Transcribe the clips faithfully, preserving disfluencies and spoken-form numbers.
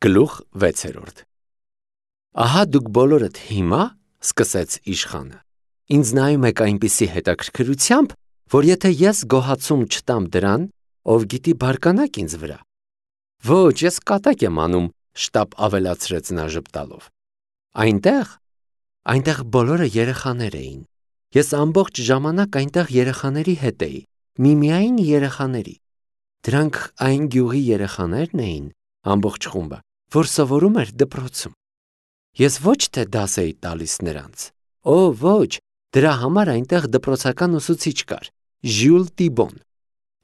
Գլուխ վեցերորդ Ահա դուք բոլորդ հիմա, սկսեց իշխանը, ինձ նայում եք այնպիսի հետաքրքրությամբ, որ եթե ես գոհացում չտամ դրան, ով գիտի բարկանաք ինձ վրա։ Ոչ, ես կատակ եմ անում, շտապ ավելացրեց նա ժպտալով։ Այնտեղ, այնտեղ բոլորը երեխաներ էին։ Ես ամբողջ ժամանակ այնտեղ երեխաների հետ էի, միմիայն երեխաների։ Դրանք այն գյուղի երեխաներն էին, ամբողջ խումբը, որ սովորում էր դպրոցում։ Ես ոչ թե դաս էի տալիս նրանց։ Օ, ոչ, դրա համար այնտեղ դպրոցական ուսուցիչ կար, Ժյուլ Տիբոն։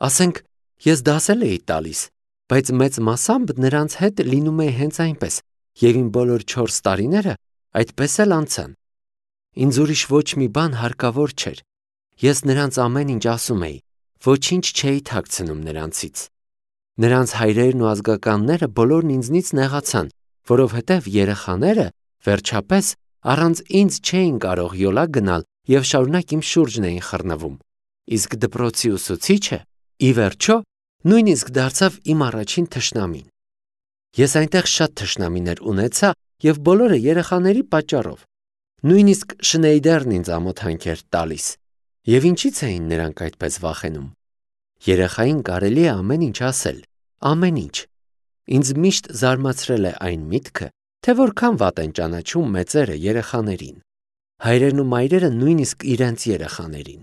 Ասենք, ես դասել էի տալիս, բայց մեծ մասամբ նրանց հետ լինում է հենց այնպես, եւ իմ բոլոր չորս տարիները այդպես էլ անցան։ Ինձ ուրիշ ոչ մի բան հարկավոր չէր։ Ես նրանց ամեն ինչ ասում էի, ոչինչ չէի թաքցնում նրանցից։ Նրանց հայրերն ու ազգականները բոլորն ինձնից նեղացան, որովհետև երեխաները, վերջապես, առանց ինձ չէին կարող յոլա գնալ եւ շարունակ իմ շուրջն էին խռնվում։ Իսկ դպրոցի ուսուցիչը, ի վերջո, նույնիսկ դարձավ իմ առաջին թշնամին։ Ես այնտեղ շատ թշնամիներ ունեցա եւ բոլորը երեխաների պատճառով։ Նույնիսկ Շնեյդերն ինձ ամոթանք էր տալիս։ Եվ ինչի՞ց էին նրանք այդպես վախենում։ Երեխային կարելի է ամեն ինչ ասել, ամեն ինչ։ Ինձ միշտ զարմացրել է այն միտքը, թե որքան վատ են ճանաչում մեծերը երեխաներին։ Հայրերն ու մայրերը նույնիսկ իրենց երեխաներին։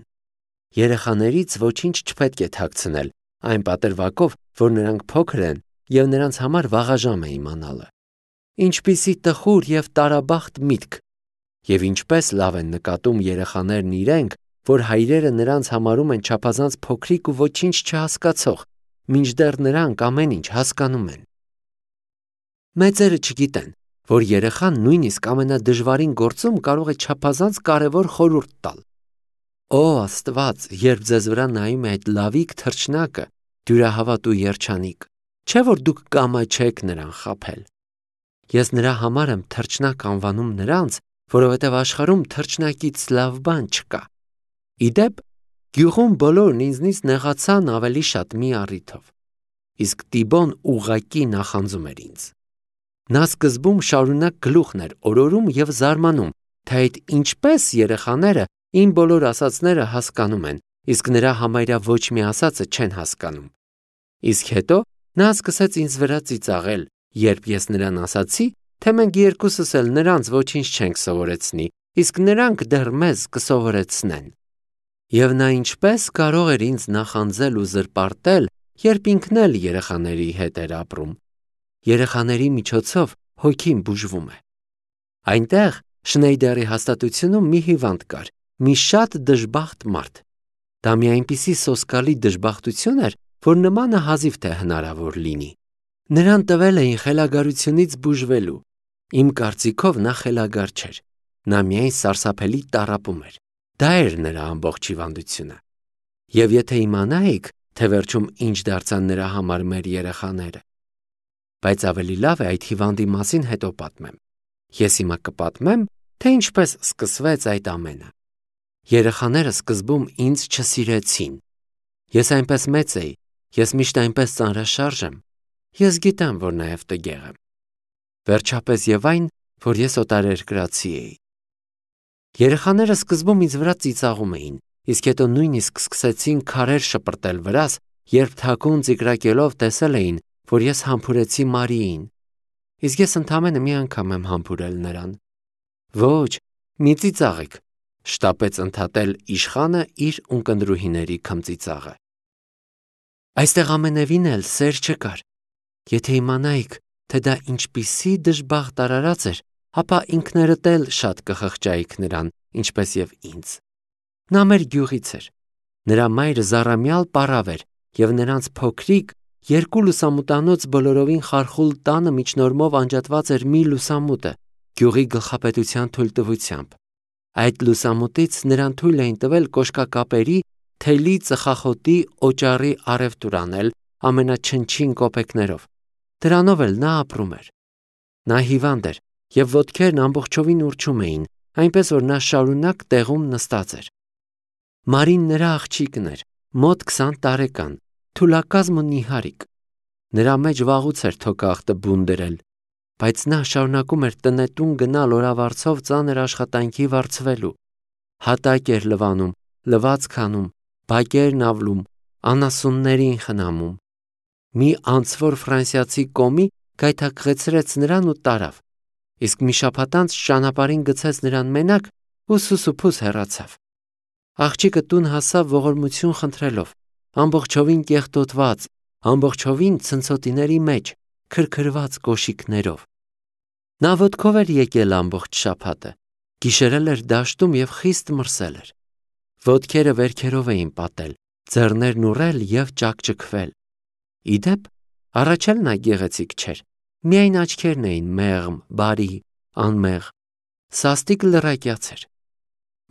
Երեխաներից ոչինչ չպետք է թաքցնել, այն պատրվակով, որ նրանք փոքր են եւ նրանց համար վաղաժամ է իմանալը։ Ինչպիսի տխուր եւ տարաբախտ միտք։ Եվ ինչպես լավ են նկատում երեխաներն իրենք, որ հայրերը նրանց համարում են չափազանց փոքրիկ ու ոչինչ չհասկացող, մինչդեռ նրանք ամեն ինչ հասկանում են։ Մեծերը չգիտեն, որ երեխան նույնիսկ ամենադժվարին գործում կարող է չափազանց կարևոր խորհուրդ տալ։ Օ, Աստված, երբ ձեզ վրա նայում է այդ լավիկ թռչնակը, դյուրահավատ ու երջանիկ, չէ՞ որ դուք կամաչեք նրան խաբել։ Ես նրա համար եմ թռչնակ անվանում նրանց, որովհետև աշխարհում թռչնակից լավ բան չկա։ Իդեպ, գյուղում բոլորն ինձնից նեղացան ավելի շատ մի առիթով։ Իսկ Տիբոն ուղղակի նախանձում էր ինձ։ Նա սկզբում շարունակ գլուխն էր օրորում եւ զարմանում, թե այդ ինչպես երեխաները իմ բոլոր ասածները հասկանում են, իսկ նրա համարյա ոչ մի ասածը չեն հասկանում։ Իսկ հետո նա սկսեց ինձ վրա ծիծաղել, երբ ես նրան ասացի, թե մենք երկուսս էլ նրանց ոչինչ չենք սովորեցնի, իսկ նրանք դեռ մեզ կսովորեցնեն։ Եվ նա ինչպես կարող էր ինձ նախանձել ու զրպարտել, երբ ինքն էլ երեխաների հետ էր ապրում։ Երեխաների միջոցով հոգին բուժվում է։ Այնտեղ Շնեյդերի հաստատությունում մի հիվանդ կար, մի շատ դժբախտ մարդ։ Դա մի այնպիսի սոսկալի դժբախտություն էր, որ նմանը հազիվ թե հնարավոր լինի։ Նրան տվել էին խելագարությունից բուժվելու։ Իմ կարծիքով նա խելագար չէր։ Նա միայն սարսափելի տառապում էր։ Դա էր նրա ամբողջ հիվանդությունը։ Եվ եթե իմանայիք, թե վերջում ինչ դարձան նրա համար մեր երեխաները։ Բայց ավելի լավ է այդ հիվանդի մասին հետո պատմեմ։ Ես հիմա կպատմեմ, թե ինչպես սկսվեց այդ ամենը։ Երեխաները սկզբում ինձ չսիրեցին։ Ես այնպես մեծ էի, ես միշտ այնպես ծանրաշարժ եմ։ Ես գիտեմ, որ նաև տգեղ եմ։ Վերջապես եւ այն, որ ես օտարերկրացի էի։ Երեխաները սկզբում ինձ վրա ծիծաղում էին, իսկ հետո նույնիսկ սկսեցին քարեր շպրտել վրաս, երբ թաքուն ծիկրակելով տեսել էին, որ ես համբուրեցի Մարիին։ Իսկ ես ընդամենը մի անգամ եմ համբուրել նրան։ Ոչ, մի ծիծաղեք, շտապեց ընդհատել իշխանը իր ունկնդրուհիների քմծիծաղը։ Այստեղ ամենևին էլ սեր չկար։ Եթե իմանայիք, թե դա ինչպիսի դժբախտ արարած էր, ապա ինքներդ էլ շատ կխղճայիք նրան, ինչպես եւ ինձ։ Նա մեր գյուղից էր։ Նրա մայրը զառամյալ պառավ էր եւ նրանց փոքրիկ երկու լուսամուտանոց բոլորովին խարխուլ տանը միջնորմով անջատված էր մի լուսամուտը, գյուղի գլխապետության թույլտվությամբ։ Այդ լուսամուտից նրան թույլ էին տվել կոշկակապերի, թելի ծխախոտի, օճառի առևտուր անել ամենաչնչին կոպեկներով։ Դրանով էլ նա ապրում էր։ Նա հիվանդ էր եւ ոտքերն ամբողջովին ուռչում էին, այնպես որ նա շարունակ տեղում նստած էր։ Մարին նրա աղջիկն էր, մոտ քսան տարեկան, թուլակազմ ու նիհարիկ։ Նրա մեջ վաղուց էր թոկախտը բուն դրել, բայց նա շարունակում էր տնետուն գնալ օրավարձով ծանր աշխատանքի վարձվելու։ Հատակ էր լվանում, լվացք անում, բակերն ավլում, անասուններին խնամում։ Մի անցվոր ֆրանսիացի կոմի գայթակղեցրեց նրան ու տարավ, իսկ մի շաբաթ անց ճանապարհին գցեց նրան մենակ ու սուսուփուս հեռացավ։ Աղջիկը տուն հասավ ողորմություն խնդրելով, ամբողջովին կեղտոտված, ամբողջովին ցնցոտիների մեջ, քրքրված կոշիկներով։ Նա ոտքով էր եկել ամբողջ շաբաթը, գիշերել էր դաշտում և խիստ մրսել էր։ Ոտքերը վերքերով էին պատել, ձեռներն ուռել և ճաքճքվել։ Ի դեպ, առաջ էլ նա գեղեցիկ չէր, միայն աչքերն էին մեղմ, բարի, անմեղ, սաստիկ լրակյաց էր։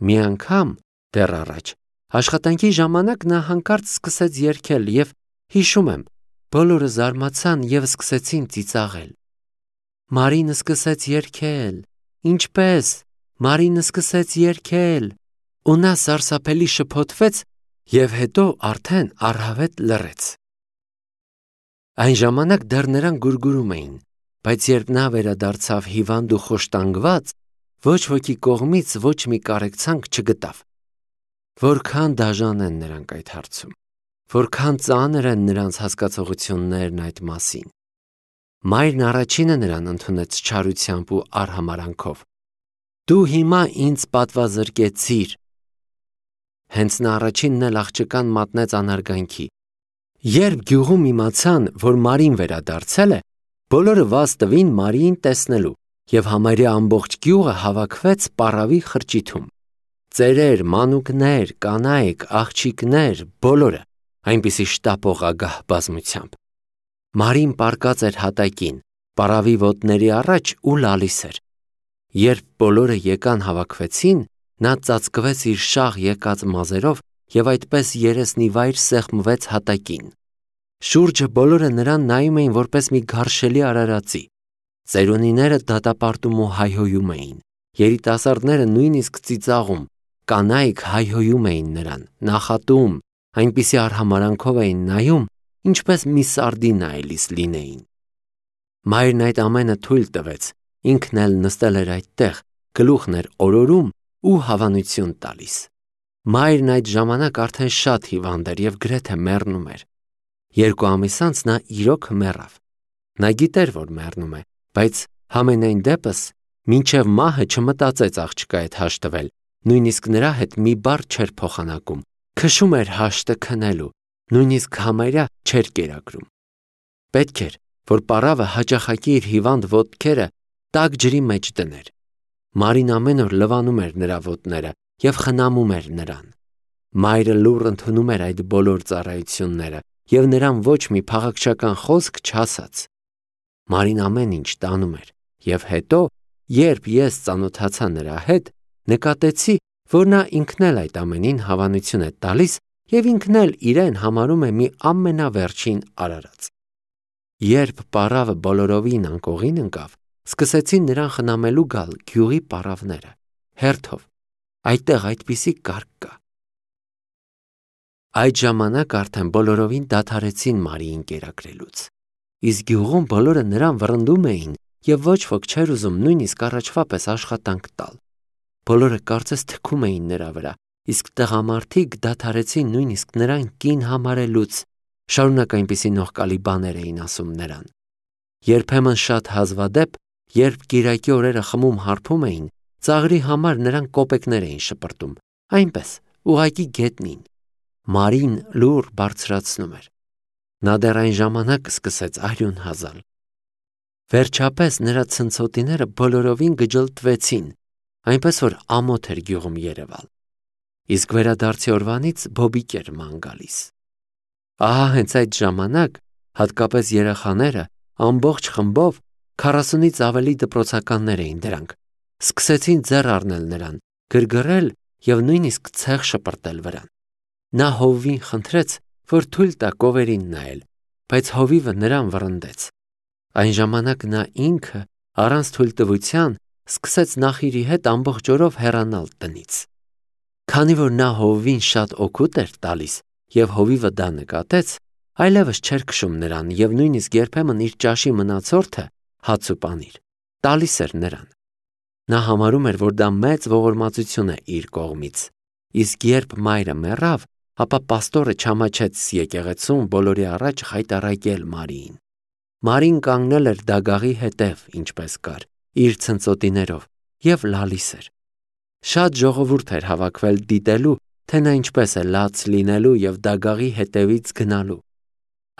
Մի անգամ, դեռ առաջ, աշխատանքի ժամանակ նա հանկարծ սկսեց երգել և, հիշում եմ, բոլորը զարմացան և սկսեցին ծիծաղել։ Մարին սկսեց երգել, ինչպես, Մարին սկսեց երգել, ու նա սարսափելի շփոթվեց և հետո արդեն առհավետ լռեց։ Այն ժամանակ դեռ նրան գուրգուրում էին, բայց երբ նա վերադարձավ հիվանդ ու խոշտանգված, ոչ ոքի կողմից ոչ մի կարեկցանք չգտավ։ Որքան դաժան են նրանք այդ հարցում, որքան ծանր են նրանց հասկացողություններն այդ մասին։ Մայրն առաջինը նրան ընդունեց չարությամբ ու արհամարանքով։ Դու հիմա ինձ պատվազրկեցիր։ Հենց նա առաջինն էլ աղջկան մատնեց անարգանքի։ Երբ գյուղում իմացան, որ Մարին վերադարձել է, բոլորը վազ տվին Մարիին տեսնելու, և համարյա ամբողջ գյուղը հավաքվեց պառավի խրճիթում։ Ծերեր, մանուկներ, կանայք, աղջիկներ, բոլորը, այնպիսի շտապող ագահ բազմությամբ։ Մարին պառկած էր հատակին, պառավի ոտների առաջ ու լալիս էր։ Երբ բոլորը եկան հավաքվեցին, նա ծածկվեց իր շաղ եկած մազերով և այդպես երեսնիվայր սեղմվեց հատակին։ Շուրջը բոլորը նրան նայում էին որպես մի գարշելի արարածի։ Ծերունիները դատապարտում ու հայհոյում էին, երիտասարդները նույնիսկ ծիծաղում, կանայք հայհոյում էին նրան, նախատում, այնպիսի արհամարանքով էին նայում, ինչպես մի սարդի նայելիս լինեին։ Մայրն այդ ամենը թույլ տվեց, ինքն էլ նստել էր այդտեղ, գլուխն էր օրորում ու հավանություն տալիս։ Մայրն այդ ժամանակ արդեն շատ հիվանդ էր և գրեթե մեռնում էր։ Երկու ամիս անց նա իրոք մեռավ։ Նա գիտեր, որ մեռնում է, բայց համենայն դեպս մինչև մահը չմտածեց աղջկա հետ հաշտվել, նույնիսկ նրա հետ մի բառ չէր փոխանակում, քշում էր հաշտը քնելու, նույնիսկ համարյա չէր կերակրում։ Պետք էր, որ պառավը հաճախակի իր հիվանդ ոտքերը տաք ջրի մեջ դներ։ Մարին ամեն օր լվանում էր նրա ոտները և խնամում էր նրան։ Մայրը լուռ ընդունում էր այդ բոլոր ծառայությունները և նրան ոչ մի փաղաքշական խոսք չասաց։ Մարին ամեն ինչ տանում էր, և հետո, երբ ես ծանոթացա նրա հետ, նկատեցի, որ նա ինքն էլ այդ ամենին հավանություն է տալիս և ինքն էլ իրեն համարում է մի ամենավերջին արարած։ Երբ պառավը բոլորովին անկողին ընկավ, սկսեցին նրան խնամելու գալ գյուղի պառավները, հերթով, այդտեղ այդպիսի կարգ կա։ Այդ ժամանակ արդեն բոլորովին դադարեցին Մարիին կերակրելուց, իսկ գյուղում բոլորը նրան վռնդում էին և ոչ ոք չէր ուզում նույնիսկ առաջվա պես աշխատանք տալ։ Բոլորը կարծես թքում էին նրա վրա, իսկ տղամարդիկ դադարեցին նույնիսկ նրան կին համարելուց, շարունակ այնպիսի նողկալի բաներ էին ասում նրան։ Երբեմն շատ հազվադեպ, երբ կիրակի օրերը խմում հարբում էին, ծաղրի համար նրան կոպեկներ էին շպրտում, այնպես, ուղղակի գետնին։ Մարին լուռ բարձրացնում էր։ Նա դեռ այն ժամանակ սկսեց արյուն հազալ։ Վերջապես նրա ցնցոտիները բոլորովին գջլտվեցին, այնպես որ ամոթ էր գյուղում երևալ։ Իսկ վերադարձի օրվանից բոբիկ էր ման գալիս։ Ահա հենց այդ ժամանակ, հատկապես երեխաները, ամբողջ խմբով, քառասունից ավելի դպրոցականներ էին դրանք, սկսեցին ձեռ առնել նրան, գրգռել և նույնիսկ ցեղ շպրտել վրան։ Նա հովվին խնդրեց, որ թույլ տա կովերին նայել, բայց հովիվը նրան վռնդեց։ Այն ժամանակ նա ինքը, առանց թույլտվության, սկսեց նախիրի հետ ամբողջ օրով հեռանալ տնից։ Քանի որ նա հովվին շատ օգուտ էր տալիս, և հովիվը դա նկատեց, այլևս չէր քշում նրան և նույնիսկ երբեմն իր ճաշի մնացորդը հաց ու պանիր, տալիս էր նրան։ Նա համարում էր, որ դա մեծ ողորմածություն է իր կողմից, իսկ երբ մայրը մեռավ, ապա պաստորը չամաչեց եկեղեցում բոլորի առաջ խայտառակել Մարիին։ Մարին կանգնել էր դագաղի հետև, ինչպես կար, իր ցնծոտիներով և լալիս էր։ Շատ ժողովուրդ էր հավաքվել դիտելու, թե նա ինչպես է լաց լինելու և դագաղի հետևից գնալու։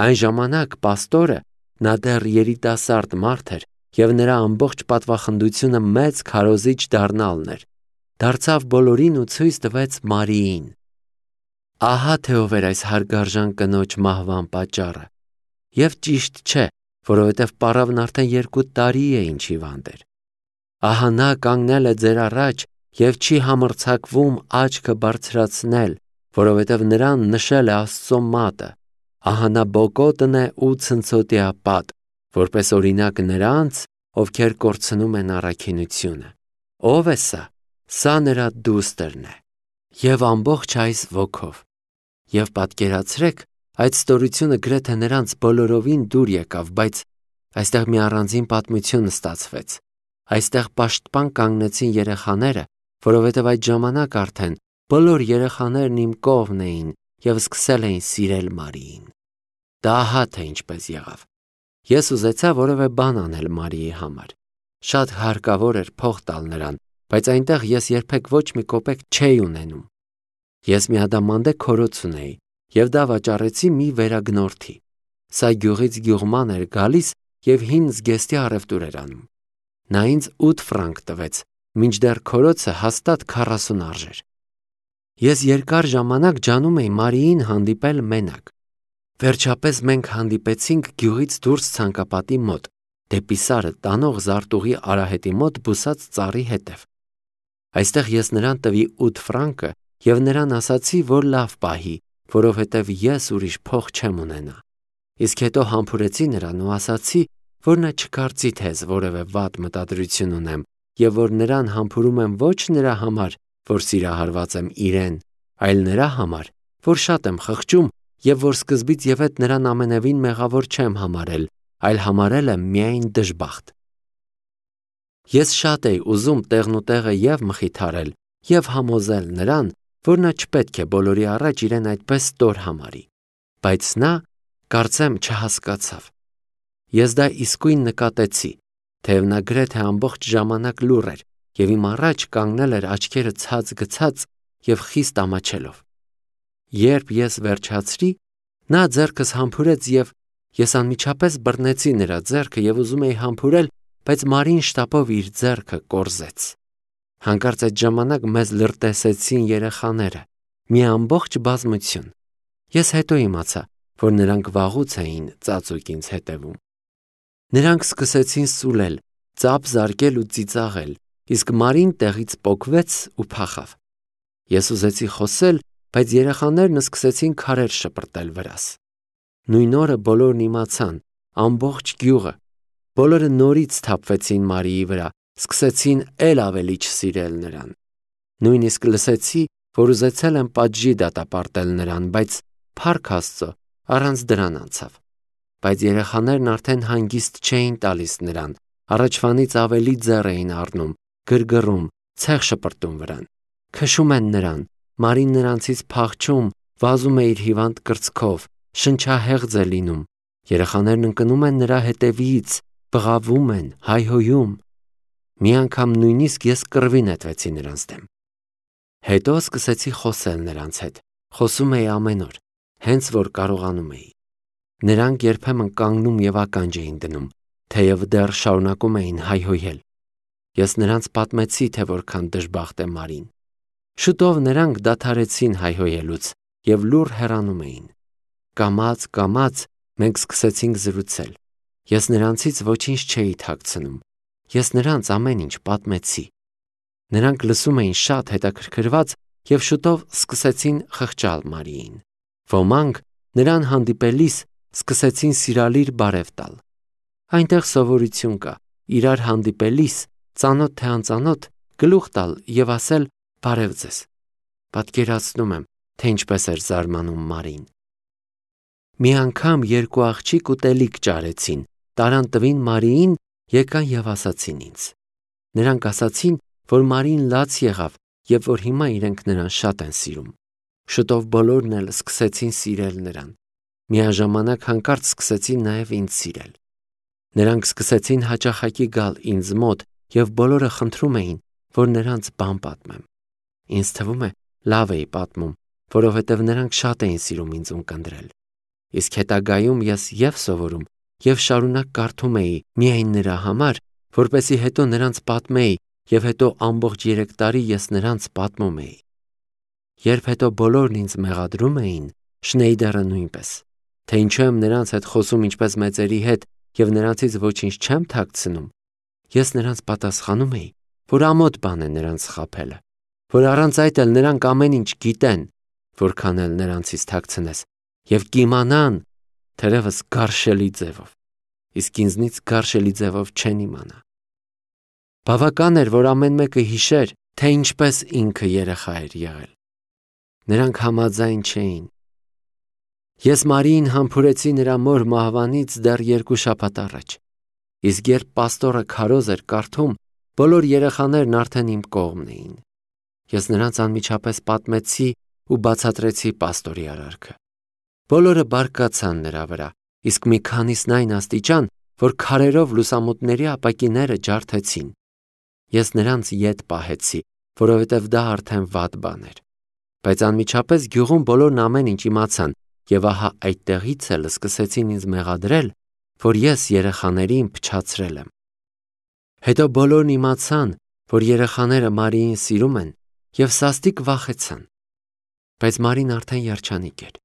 Այն ժամանակ պաստորը, նա դեռ երիտասարդ մարդ էր, և նրա ամբողջ պատվախնդությունը մեծ քարոզիչ դառնալն էր, դարձավ բոլորին ու ցույց տվեց Մարիին։ Ահա թե ով էր այս հարգարժան կնոջ մահվան պատճառը։ Եվ ճիշտ չէ, որովհետև պառավն արդեն երկու տարի է ինչ հիվանդ էր։ Ահա նա կանգնել է ձեր առաջ և չի համարձակվում աչքը բարձրացնել, որովհետև նրան նշել է Աստծո մատը։ Ահա նա բոկոտն է ու ցնցոտիապատ, որպես օրինակ նրանց, ովքեր կորցնում են առաքինությունը։ Ո՞վ է սա։ Սա նրա դուստրն է։ Եվ ամբողջ այս ոգով։ Եվ պատկերացրեք, այդ ստորությունը գրեթե նրանց բոլորովին դուր եկավ, բայց այստեղ մի առանձին պատմություն ստացվեց։ Այստեղ պաշտպան կանգնեցին երեխաները, որովհետև այդ ժամանակ արդեն բոլոր երեխաներն իմ կողմն էին և սկսել էին սիրել Մարիին։ Դա ահա թե ինչպես եղավ։ Ես ուզեցա որևէ բան անել Մարիի համար։ Շատ հարկավոր էր փող տալ նրան, բայց այնտեղ ես երբեք ոչ մի կոպեկ չէի ունենում։ Ես մի ադամանդե քորոց ունեի, և դա վաճառեցի մի վերագնորդի։ Սա գյուղից գյուղման էր գալիս և հին զգեստի առևտուր էր անում։ Նա ինձ ութ ֆրանկ տվեց, մինչդեռ քորոցը հաստատ քառասուն արժեր։ Ես երկար ժամանակ ջանում էի Մարիին հանդիպել մենակ։ Վերջապես մենք հանդիպեցինք գյուղից դուրս ցանկապատի մոտ, դեպի Սարը տանող զարտուղի արահետի մոտ բուսած ծառի հետև։ Այստեղ ես նրան տվի ութ ֆրանկը և նրան ասացի, որ լավ պահի, որովհետև ես ուրիշ փող չեմ ունենա։ Իսկ հետո համբուրեցի նրան ու ասացի, որ նա չկարծի, թե ես որևէ վատ մտադրություն ունեմ և որ նրան համբուրում եմ ոչ նրա համար, որ սիրահարված եմ իրեն, այլ նրա համար, որ շատ եմ խղճում և որ սկզբից և հետ նրան ամենևին մեղավոր չեմ համարել, այլ համարել եմ միայն դժբախտ։ Ես շատ էի ուզում տեղնուտեղը և մխիթարել և համոզել նրան, որ նա չպետք է բոլորի առաջ իրեն այդպես ստոր համարի, բայց նա, կարծեմ, չհասկացավ։ Ես դա իսկույն նկատեցի, թեև նա գրեթե ամբողջ ժամանակ լուռ էր և իմ առաջ կանգնել էր աչքերը ցած գցած և խիստ ամաչելով։ Երբ ես վերջացրի, նա ձեռքս համբուրեց և ես անմիջապես բռնեցի նրա ձեռքը և ուզում էի համբուրել, բայց Մարին շտապով իր ձեռքը կորզեց։ Հանկարծ այդ ժամանակ մեզ լրտեսեցին երեխաները, մի ամբողջ բազմություն։ Ես հետո իմացա, որ նրանք վաղուց էին ծածուկ ինձ հետևում։ Նրանք սկսեցին սուլել, ծափ զարկել ու ծիծաղել, իսկ Մարին տեղից պոկվեց ու փախավ։ Ես ուզեցի խոսել, բայց երեխաներն սկսեցին քարեր շպրտել վրաս։ Նույն օրը բոլորն իմացան, ամբողջ գյուղը։ Բոլորը նորից սթափվեցին Մարիի վրա, սկսեցին էլ ավելի չսիրել նրան։ Նույնիսկ լսեցի, որ ուզեցել են պատժի դատապարտել նրան, բայց փառք Աստծո, առանց դրան անցավ։ Բայց երեխաներն արդեն հանգիստ չէին տալիս նրան, առաջվանից ավելի ձեռ էին առնում, գրգռում, ցեղ շպրտում վրան։ Քշում են նրան, Մարին նրանցից փախչում, վազում է իր հիվանդ կրծքով, շնչահեղձ է լինում։ Երեխաներն ընկնում են նրա հետևից, բղավում են, հայհոյում։ Մի անգամ նույնիսկ ես կռվի նետվեցի նրանց դեմ։ Հետո սկսեցի խոսել նրանց հետ, խոսում էի ամեն օր, հենց որ կարողանում էի։ Նրանք երբեմն կանգնում և ականջ էին դնում, թեև դեռ շարունակում էին հայհոյել։ Ես նրանց պատմեցի, թե որքան դժբախտ է Մարին։ Շուտով նրանք դադարեցին հայհոյելուց և լուռ հեռանում էին։ Կամաց, կամաց մենք սկսեցինք զրուցել։ Ես նրանցից ոչինչ չէի թաքցնում։ Ես նրանց ամեն ինչ պատմեցի։ Նրանք լսում էին շատ հետաքրքրված և շուտով սկսեցին խղճալ Մարիին։ Ոմանք նրան հանդիպելիս սկսեցին սիրալիր բարև տալ։ Այնտեղ սովորություն կա, իրար հանդիպելիս, ծանոթ թե անծանոթ, գլուխ տալ և ասել «Բարև ձեզ»։ Պատկերացնում եմ, թե ինչպես էր զարմանում Մարին։ Մի անգամ երկու աղջիկ ուտելիք ճարեցին, տարան տվին Մարիին եկան եւ ասացին ինձ։ Նրանք ասացին, որ Մարին լաց եղավ եւ որ հիմա իրենք նրան շատ են սիրում։ Շուտով բոլորն էլ սկսեցին սիրել նրան։ Միաժամանակ հանկարծ սկսեցին նաեւ ինձ սիրել։ Նրանք սկսեցին հաճախակի գալ ինձ մոտ եւ բոլորը խնդրում էին, որ նրանց բան պատմեմ։ Ինձ թվում է, լավ էի պատմում, որովհետեւ նրանք շատ էին սիրում ինձ ունկնդրել։ Իսկ հետագայում ես եւ սովորում եւ շարունակ կարդում էի միայն նրա համար, որպեսզի հետո նրանց պատմեի եւ հետո ամբողջ երեք տարի ես նրանց պատմում էի։ Երբ հետո բոլորն ինձ մեղադրում էին, Շնեյդերը նույնպես, թե ինչու եմ նրանց հետ խոսում ինչպես մեծերի հետ եւ նրանցից ոչինչ չեմ թաքցնում, ես նրանց պատասխանում էի, որ ամոթ բան է նրանց խաբելը, որ առանց այդ էլ նրանք ամեն ինչ գիտեն, որքան էլ նրանցից թաքցնես, եւ կիմանան, թերևս գարշելի ձևով, իսկ ինձնից գարշելի ձևով չեն իմանա։ Բավական էր, որ ամեն մեկը հիշեր, թե ինչպես ինքը երեխա էր եղել։ Նրանք համաձայն չէին։ Ես Մարիին համբուրեցի նրա մոր մահվանից դեռ երկու շաբաթ առաջ, իսկ երբ պաստորը քարոզ էր կարդում, բոլոր երեխաներն արդեն իմ կողմն էին։ Ես նրանց անմիջապես պատմեցի ու բացատրեցի պաստորի արարքը։ Բոլորը բարկացան նրա վրա, իսկ մի քանիսն այն աստիճան, որ քարերով լուսամուտների ապակիները ջարդեցին։ Ես նրանց ետ պահեցի, որովհետև դա արդեն վատ բան էր։ Բայց անմիջապես գյուղում բոլորն ամեն ինչ իմացան, եւ ահա այդտեղից էլ սկսեցին ինձ մեղադրել, որ ես երեխաներին փչացրել եմ։ Հետո բոլորն իմացան, որ երեխաները Մարիին սիրում են եւ սաստիկ վախեցան։ Բայց Մարին արդեն երջանիկ էր։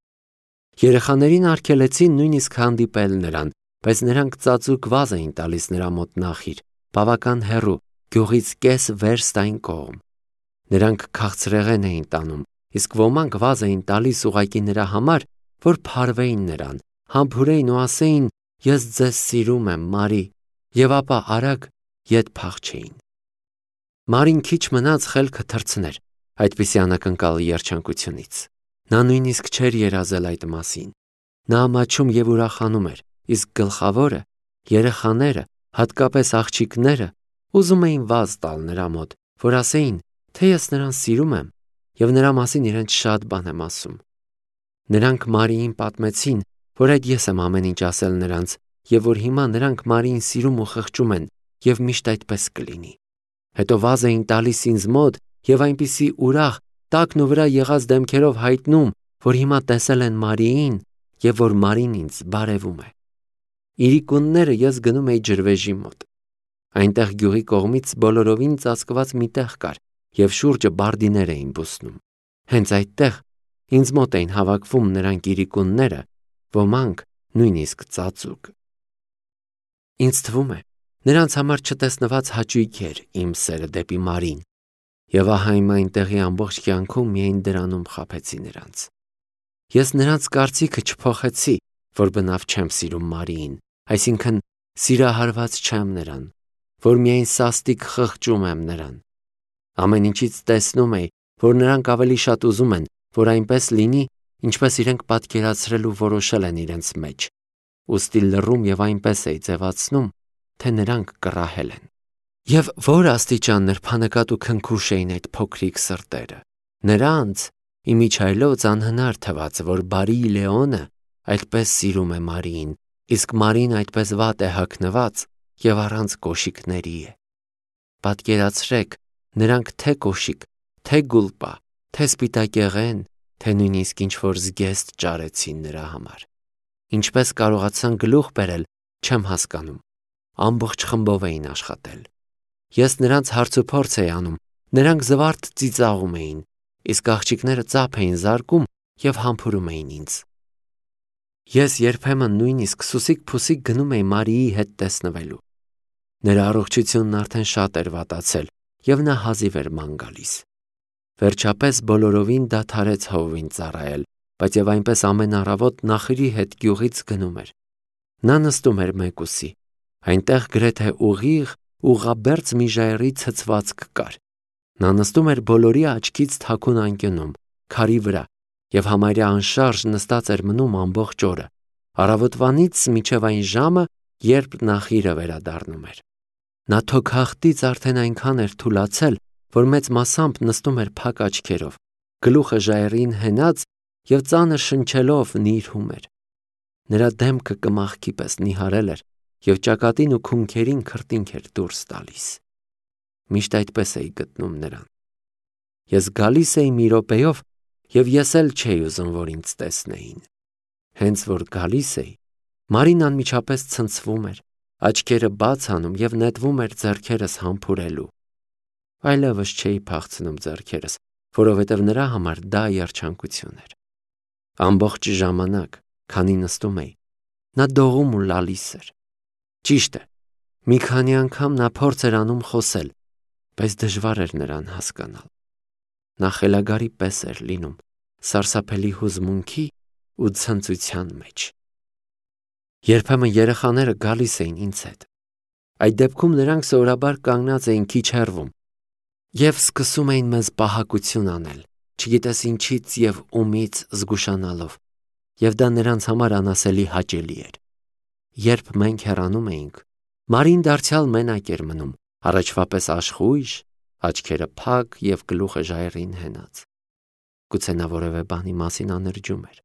Երեխաներին արգելեցին նույնիսկ հանդիպել նրան, բայց նրանք ծածուկ վազ էին տալիս նրա մոտ նախիր, բավական հեռու, գյուղից կես վերստ այն կողմ։ Նրանք քաղցրեղեն էին տանում, իսկ ոմանք վազ էին տալիս ուղղակի նրա համար, որ փարվեին նրան, համբուրեին ու ասեին. «Ես ձեզ սիրում եմ, Մարի», եւ ապա արագ ետ փախչեին։ Մարին քիչ մնաց խելքը թռցներ այդպիսի անակնկալ երջանկությունից։ Նա նույնիսկ չէր երազել այդ մասին։ Նա ամաչում եւ ուրախանում էր, իսկ գլխավորը, երեխաները, հատկապես աղջիկները, ուզում էին վազ տալ նրա մոտ, որ ասեին, թե ես նրան սիրում եմ եւ նրա մասին իրենց շատ բան եմ ասում։ Նրանք Մարիին պատմեցին, որ այդ ես եմ ամեն ինչ ասել նրանց եւ որ հիմա նրանք Մարիին սիրում ու խղճում են եւ միշտ այդպես կլինի։ Հետո վազ էին տալիս ինձ մոտ եւ այնպիսի ուրախ, տակն ու վրա եղած դեմքերով հայտնում, որ հիմա տեսել են Մարիին եւ որ Մարին ինձ բարևում է։ Իրիկունները ես գնում էի ջրվեժի մոտ։ Այնտեղ գյուղի կողմից բոլորովին ծածկված մի տեղ կար եւ շուրջը բարդիներ էին բուսնում։ Հենց այդտեղ ինձ մոտ էին հավաքվում նրանք իրիկունները, ոմանք նույնիսկ ծածուկ։ Ինձ թվում է, նրանց համար չտեսնված հաճույք էր իմ սերը դեպի Մարին, եւ ահա իմ այնտեղի ամբողջ կյանքում միայն դրանում խաբեցի նրանց։ Ես նրանց կարծիքը չփոխեցի, որ բնավ չեմ սիրում Մարիին, այսինքն սիրահարված չեմ նրան, որ միայն սաստիկ խղճում եմ նրան։ Ամեն ինչից տեսնում էի, որ նրանք ավելի շատ ուզում են, որ այնպես լինի, ինչպես իրենք պատկերացրել ու որոշել են իրենց մեջ, ուստի լռում եւ այնպես էի ձևացնում, թե նրանք կռահել են։ Եվ որ աստիճան նրբանկատ ու քնքուշ էին այդ փոքրիկ սրտերը։ Նրանց իմիջայլոց անհնար թվաց, որ բարի Լեոնը այդպես սիրում է Մարիին, իսկ Մարին այդպես վատ է հագնված եւ առանց կոշիկների է։ Պատկերացրեք, նրանք թե կոշիկ, թե գուլպա, թե սպիտակեղեն, թե նույնիսկ ինչ-որ զգեստ ճարեցին նրա համար։ Ինչպես կարողացան գլուխ բերել, չեմ հասկանում։ Ամբողջ խմբով էին աշխատել։ Ես նրանց հարցուփորձ էի անում, նրանք զվարթ ծիծաղում էին, իսկ աղջիկները ծափ էին զարկում եւ համբուրում էին ինձ։ Ես երբեմն նույնիսկ սուսիկ-փուսիկ գնում էի Մարիի հետ տեսնվելու։ Նրա առողջությունն արդեն շատ էր վատացել եւ նա հազիվ էր ման գալիս։ Վերջապես բոլորովին դադարեց հովին ծառայել, բայց եւ այնպես ամեն առավոտ նախրի հետ գյուղից գնում էր։ Նա նստում էր մեկուսի։ Այնտեղ գրեթե ուղիղ ուղղաբերձ մի ժայռի ցցվածք կար։ Նա նստում էր բոլորի աչքից թաքուն անկյունում, քարի վրա, եւ համարյա անշարժ նստած էր մնում ամբողջ օրը, առավոտվանից մինչև այն ժամը, երբ նախիրը վերադառնում էր։ Նա թոքախտից արդեն այնքան էր թուլացել, որ մեծ մասամբ նստում էր փակ աչքերով, գլուխը ժայռին հենած և ծանր շնչելով նիրհում էր։ Նրա դեմքը կմախքի պես նիհարել էր և ճակատին ու քունքերին քրտինք էր դուրս տալիս։ Միշտ այդպես էի գտնում նրան։ Ես գալիս էի մի րոպեով, և ես էլ չէի ուզում, որ ինձ տեսնեին։ Հենց որ գալիս էի, Մարին անմիջապես ցնցվում էր, աչքերը բաց անում և նետվում էր ձեռքերս համբուրելու։ Այլևս չէի փախցնում ձեռքերս, որովհետև նրա համար դա երջանկություն էր։ Ամբողջ ժամանակ, քանի նստում էի, նա դողում ու լալիս էր։ Ճիշտ է, մի քանի անգամ նա փորձ էր անում խոսել, բայց դժվար էր նրան հասկանալ։ Նա խելագարի պես էր լինում, սարսափելի հուզմունքի ու ցնծության մեջ։ Երբեմն երեխաները գալիս էին ինձ հետ։ Այդ դեպքում նրանք սովորաբար կանգնած էին քիչ հեռվում և սկսում էին մեզ պահակություն անել, չգիտես ինչից և ումից զգուշանալով, և դա նրանց համար անասելի հաճելի էր։ Երբ մենք հեռանում էինք, Մարին դարձյալ մենակ էր մնում, առաջվա պես աշխույժ, աչքերը փակ և գլուխը ժայռին հենած։ Գուցե նա որևէ բանի մասին անրջում էր։